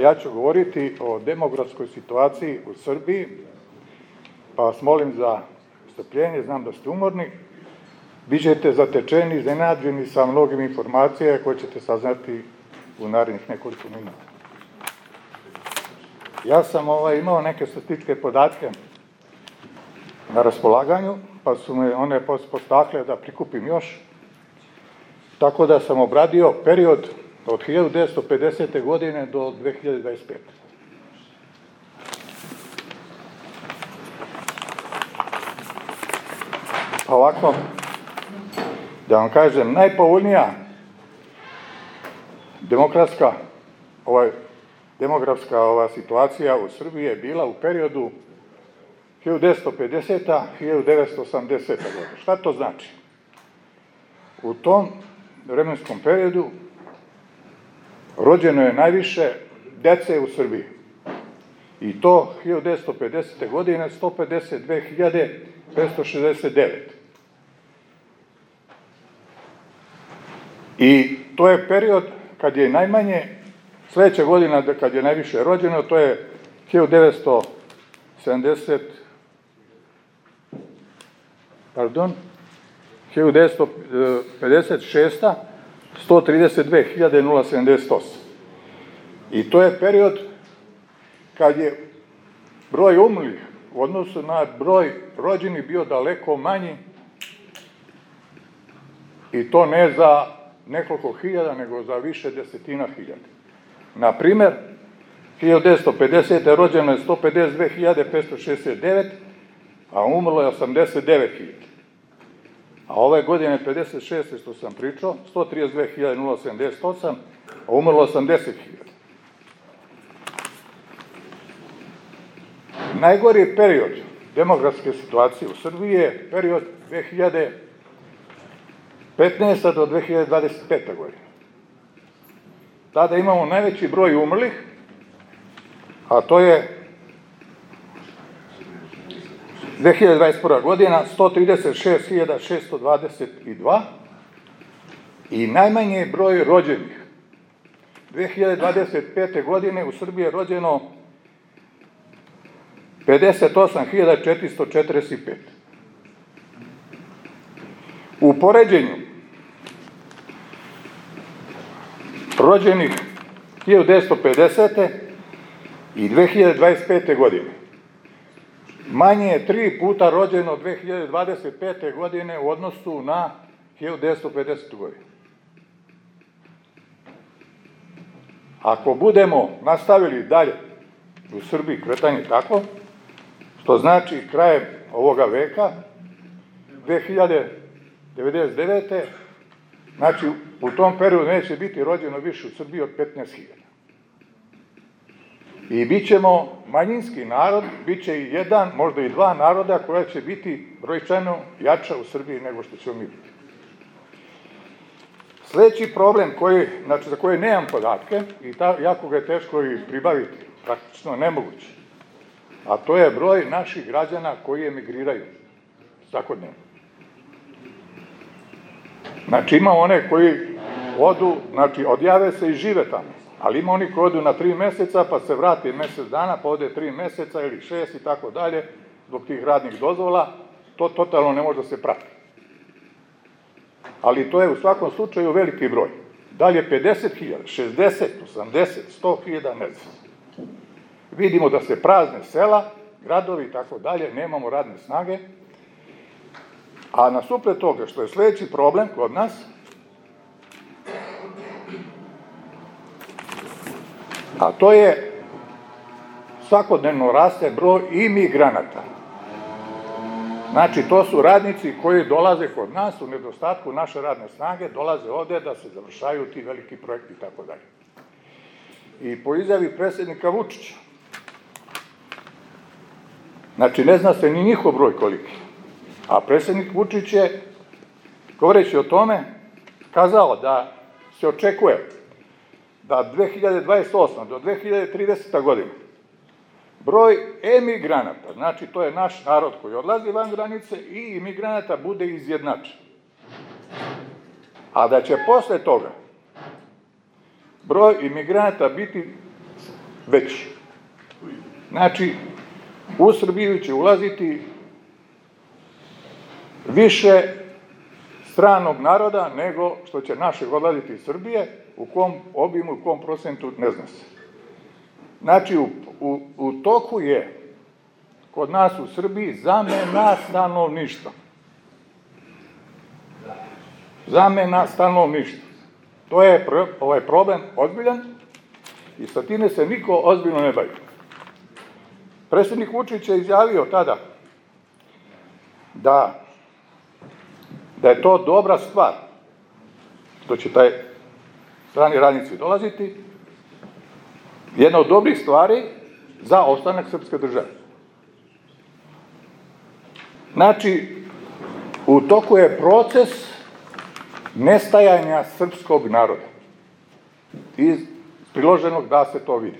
ja ću govoriti o demografskoj situaciji u Srbiji, pa vas molim za strpljenje, znam da ste umorni. Bićete zatečeni, iznenađeni sa mnogim informacijama koje ćete saznati u narednih nekoliko minuta. Ja sam imao neke statističke podatke na raspolaganju, pa su me one postakle da prikupim još, tako da sam obradio period od 1950. godine do 2025. Ovako, da vam kažem, najpovoljnija demografska situacija u Srbiji je bila u periodu 1950-1980. godina. Šta to znači? U tom vremenskom periodu rođeno je najviše dece u Srbiji. I to 1950. godine 152.569. I to je period kad je najmanje, sledeća godina kad je najviše rođeno, to je 1956. 132.078. I to je period kad je broj umrlih u odnosu na broj rođenih bio daleko manji, i to ne za nekoliko hiljada, nego za više desetina hiljada. Na primer, 1950. rođeno je 152.569, a umrlo je 89.000. A ove godine 56. što sam pričao, 132.078, a umrlo 80.000. Najgori period demografske situacije u Srbiji je period 2015. do 2025. godine. Tada imamo najveći broj umrlih, a to je 2021. godina 136.622 i najmanji broj rođenih. 2025. godine u Srbiji je rođeno 58.445. U poređenju rođenih 1950. i 2025. godine manje je 3 puta rođeno 2025. godine u odnosu na 1950. godinu. Ako budemo nastavili dalje u Srbiji kretanje tako, što znači krajem ovoga veka, 2099. znači u tom periodu neće biti rođeno više u Srbiji od 15.000. I bit ćemo manjinski narod, bit će i jedan, možda i dva naroda koja će biti brojčano jača u Srbiji nego što ćemo mi biti. Sledeći problem za koji nemam podatke, i jako ga je teško i pribaviti, praktično nemoguće, a to je broj naših građana koji emigriraju svakodnevno. Znači ima one koji odu, znači odjave se i žive tamo, ali ima oni koji odu na 3 meseca, pa se vrati mesec dana, pa ode 3 meseca ili 6 i tako dalje, zbog tih radnih dozvola, to totalno ne može da se prati. Ali to je u svakom slučaju veliki broj. Dalje 50.000, 60, 80, 100.000, ne znam. Vidimo da se prazne sela, gradovi i tako dalje, nemamo radne snage, a nasupred toga, što je sledeći problem kod nas, a to je svakodnevno raste broj imigranata. Znači, to su radnici koji dolaze kod nas u nedostatku naše radne snage, dolaze ovde da se završaju ti veliki projekti i tako dalje. I po izjavi predsjednika Vučića, znači ne zna se ni njihov broj koliki, a predsjednik Vučić je, govoreći o tome, kazao da se očekuje da 2028. do 2030. godina broj emigranata, znači to je naš narod koji odlazi van granice, i imigranata bude izjednačen. A da će posle toga broj imigranata biti veći. Znači, u Srbiju će ulaziti više stranog naroda nego što će našeg odlaziti iz Srbije, u kom obimu, u kom procentu, ne zna se. Znači, u toku je kod nas u Srbiji zamena stanovništva. Zamena stanovništva. To je ovaj problem ozbiljan i sa time se niko ozbiljno ne bavi. Predsednik Vučić je izjavio tada da je to dobra stvar, što će taj strani radnici dolaziti, jedna od dobrih stvari za ostanak srpske države. Znači, u toku je proces nestajanja srpskog naroda. Iz priloženog da se to vidi.